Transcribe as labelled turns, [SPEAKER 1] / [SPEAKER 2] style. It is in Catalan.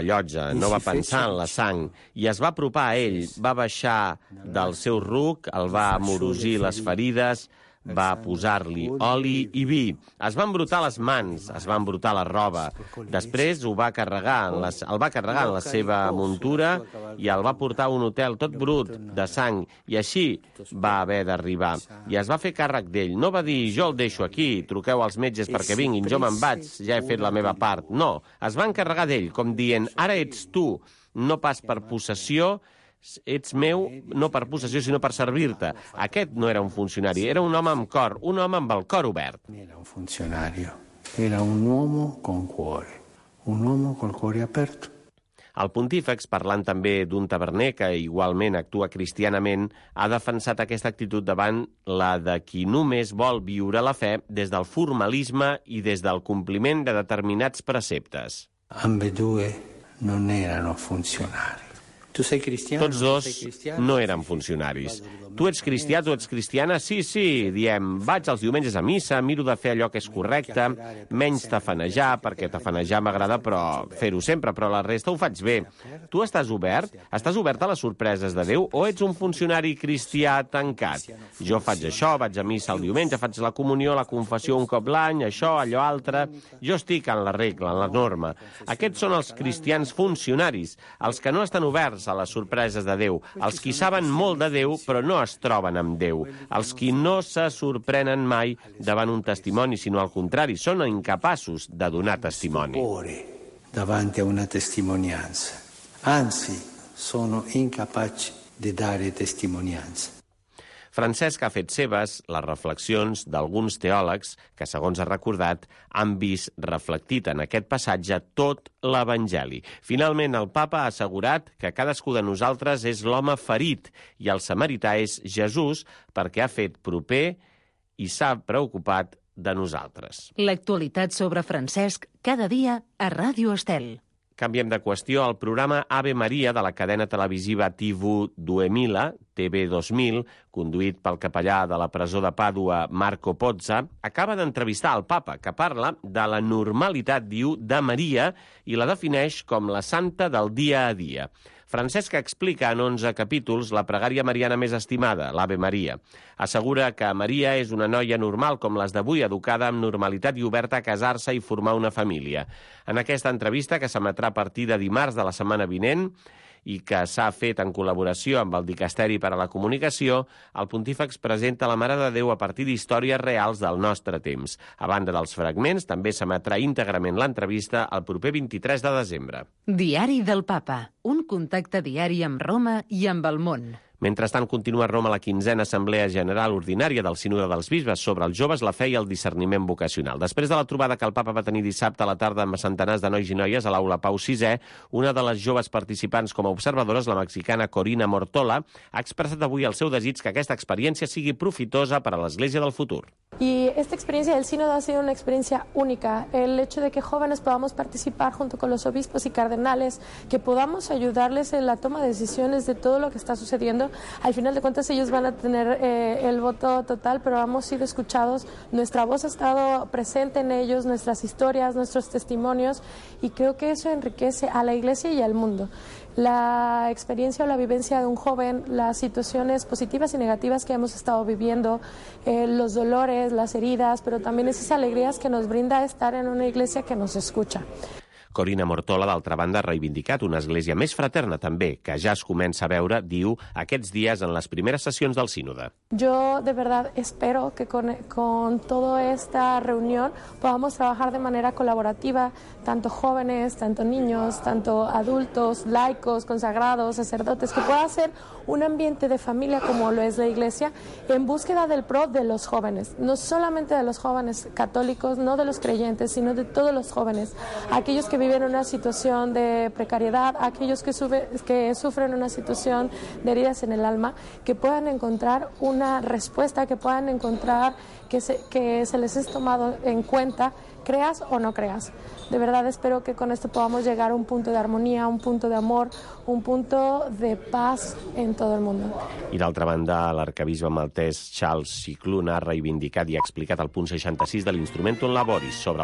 [SPEAKER 1] llotja, no va pensar en la sang, i es va apropar a ell, va baixar del seu ruc, el va amorosir les ferides, va posar-li oli i vi. Es va embrutar les mans, es va embrutar la roba. Després el va carregar en la seva muntura i el va portar a un hotel tot brut de sang, i així va haver d'arribar. I es va fer càrrec d'ell. No va dir, jo el deixo aquí, truqueu als metges perquè vinguin, jo me'n vaig, ja he fet la meva part. No, es va encarregar d'ell, com dient, ara ets tu, no pas per possessió, ets meu, no per possessió, sinó per servir-te. Aquest no era un funcionari, era un home amb cor, un home amb el cor obert.
[SPEAKER 2] Era un funcionari, era un uomo con cuore, un uomo col cuore aperto.
[SPEAKER 1] El pontífex, parlant també d'un taverner que igualment actua cristianament, ha defensat aquesta actitud davant la de qui només vol viure la fe des del formalisme i des del compliment de determinats preceptes.
[SPEAKER 2] Ambedue non erano funzionari. Tu sei cristiano?
[SPEAKER 1] Tots dos no eren funcionaris. Tu ets cristià, tu ets cristiana? Sí, sí, diem, vaig els diumenges a missa, miro de fer allò que és correcte, menys tafanejar, perquè tafanejar m'agrada, però fer-ho sempre, però la resta ho faig bé. Tu estàs obert? Estàs obert a les sorpreses de Déu o ets un funcionari cristià tancat? Jo faig això, vaig a missa el diumenge, faig la comunió, la confessió un cop l'any, això, allò altre. Jo estic en la regla, en la norma. Aquests són els cristians funcionaris, els que no estan oberts a les sorpreses de Déu, els qui saben molt de Déu però no es troben amb Déu, els qui no se sorprenen mai davant un testimoni, sinó al contrari, són incapaços de donar testimoni.
[SPEAKER 2] Davanti a una testimonianza, anzi, sono incapaci di dare testimonianza.
[SPEAKER 1] Francesc ha fet seves les reflexions d'alguns teòlegs que, segons ha recordat, han vist reflectit en aquest passatge tot l'Evangeli. Finalment, el papa ha assegurat que cadascú de nosaltres és l'home ferit i el samarità és Jesús perquè ha fet proper i s'ha preocupat de nosaltres.
[SPEAKER 3] L'actualitat sobre Francesc cada dia a Ràdio Estel.
[SPEAKER 1] Canviem de qüestió. El programa Ave Maria de la cadena televisiva TV2000, conduït pel capellà de la presó de Pàdua, Marco Pozza, acaba d'entrevistar el papa, que parla de la normalitat, diu, de Maria i la defineix com la santa del dia a dia. Francesc explica en 11 capítols la pregària mariana més estimada, l'Ave Maria. Assegura que Maria és una noia normal com les d'avui, educada amb normalitat i oberta a casar-se i formar una família. En aquesta entrevista, que s'emetrà a partir de dimarts de la setmana vinent, i que s'ha fet en col·laboració amb el Dicasteri per a la Comunicació, el pontífex presenta la Mare de Déu a partir d'històries reals del nostre temps. A banda dels fragments, també s'emetrà íntegrament l'entrevista el proper 23 de desembre.
[SPEAKER 3] Diari del Papa, un contacte diari amb Roma i amb el món.
[SPEAKER 1] Mentrestant, continua a Roma la 15a Assemblea General Ordinària del Sínode dels Bisbes sobre els joves, la fe i el discerniment vocacional. Després de la trobada que el papa va tenir dissabte a la tarda amb centenars de nois i noies a l'Aula Pau VI, una de les joves participants com a observadores, la mexicana Corina Mortola, ha expressat avui el seu desig que aquesta experiència sigui profitosa per a l'Església del futur.
[SPEAKER 4] Y esta experiencia del sínodo ha sido una experiencia única. El hecho de que jóvenes podamos participar junto con los obispos y cardenales, que podamos ayudarles en la toma de decisiones de todo lo que está sucediendo. Al final de cuentas ellos van a tener el voto total, pero hemos sido escuchados, nuestra voz ha estado presente en ellos, nuestras historias, nuestros testimonios, y creo que eso enriquece a la Iglesia y al mundo. La experiencia o la vivencia de un joven, las situaciones positivas y negativas que hemos estado viviendo, los dolores, las heridas, pero también esas alegrías que nos brinda estar en una iglesia que nos escucha.
[SPEAKER 1] Corina Mortola, d'altra banda, ha reivindicat una església més fraterna també, que ja es comença a veure, diu, aquests dies en les primeres sessions del sínode.
[SPEAKER 4] Yo de verdad espero que con toda esta reunión podamos trabajar de manera colaborativa, tanto jóvenes, tanto niños, tanto adultos, laicos, consagrados, sacerdotes, que pueda ser un ambiente de familia como lo es la Iglesia, en búsqueda del pro de los jóvenes, no solamente de los jóvenes católicos, no de los creyentes, sino de todos los jóvenes, aquellos que viven una situación de precariedad, aquellos que sufren una situación de heridas en el alma, que puedan encontrar una respuesta, que puedan encontrar que se les es tomado en cuenta, creas o no creas. De verdad espero que con esto podamos llegar a un punto de armonía, un punto de amor, un punto de paz en todo el mundo.
[SPEAKER 1] I d'altra banda, l'arcabisbe maltès Charles Cicluna ha reivindicat i ha explicat el punt 66 de l'Instrumentum Laboris sobre